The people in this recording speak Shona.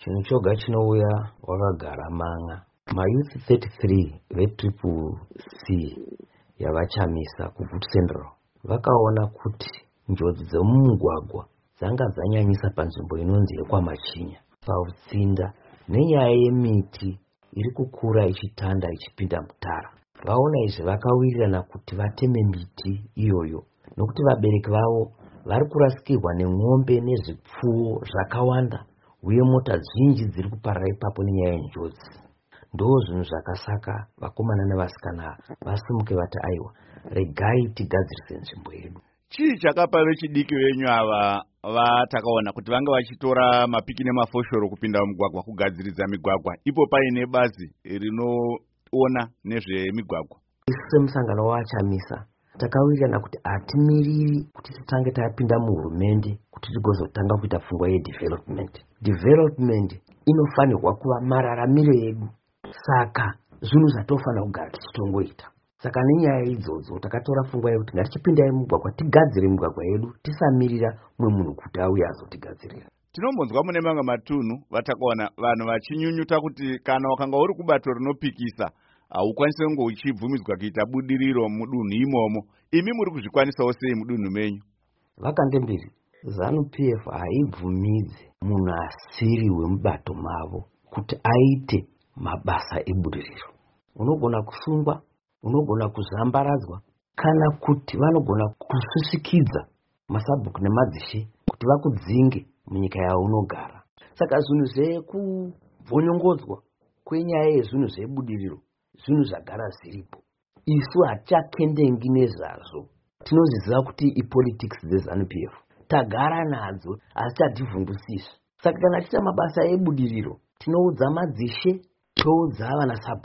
Chinhu choga chinouya wakagara man'a. Mayouth 33 veTriple C yaVaChamisa kuGutu Central vakaona kuti njodzi dzemumugwagwa dzanga dzanyanyisa panzvimbo inonzi yekwaMachinya, pautsinda nenyaya yemiti iri kukura ichitanda ichipinda mutara. Vaona izvi vakawirirana kuti vateme miti iyoyo nokuti vabereki vavo vari kurasikirwa nemombe nezvipfuwo zvakawanda uye mota zhinji dziri kuparara ipapo nenyaya yenjodzi. Ndo zvinhu zvakasaka vakomana nevasikana vasimuke vati aiwa, regai tigadzirise nzvimbo yedu. Chii chakapa vechidiki venyu ava vatakaona kuti vange vachitora mapiki nemafoshoro kupinda mumugwagwa kugadziridza migwagwa ipo paine bazi rinoona nezvemigwagwa? Isu semusangano waVaChamisa takawirirana kuti hatimiriri kuti titange tapinda muhurumende kuti tigozotanga kuita pfungwa yedevelopment. Development inofanirwa kuva mararamiro edu, saka zvinhu zvatofanira kugara tichitongoita. Saka nenyaya idzodzo takatora pfungwa yekuti ngatichipindai mumugwagwa tigadzire migwagwa yedu, tisamirira mumwe munhu kuti auye azotigadzirira. Tinombonzwa mune mamwe matunhu vatakaona vanhu vachinyunyuta kuti kana wakanga uri kubato rinopikisa haukwanisi kunge uchibvumidzwa kuita budiriro mudunhu imomo. Imi muri kuzvikwanisawo sei mudunhu menyu? Vakandembiri, ZANU PF haibvumidzi munhu asiri wemubato mavo kuti aite mabasa ebudiriro. Unogona kusungwa, unogona kuzvambaradzwa, kana kuti vanogona kusvisikidza masabhuku nemadzishe kuti vakudzinge munyika yaunogara. Saka zvinhu zvekubvonyongodzwa kwenyaya yezvinhu zvebudiriro zvinhu zvagara zviripo. Isu hatichakendengi nezvazvo, tinozviziva kuti ipolitics dzeZANU PF, tagara nadzo asi chativhundusizve. Saka kana tichiita mabasa ebudiriro tinoudza madzishe, toudza vanasabhuku.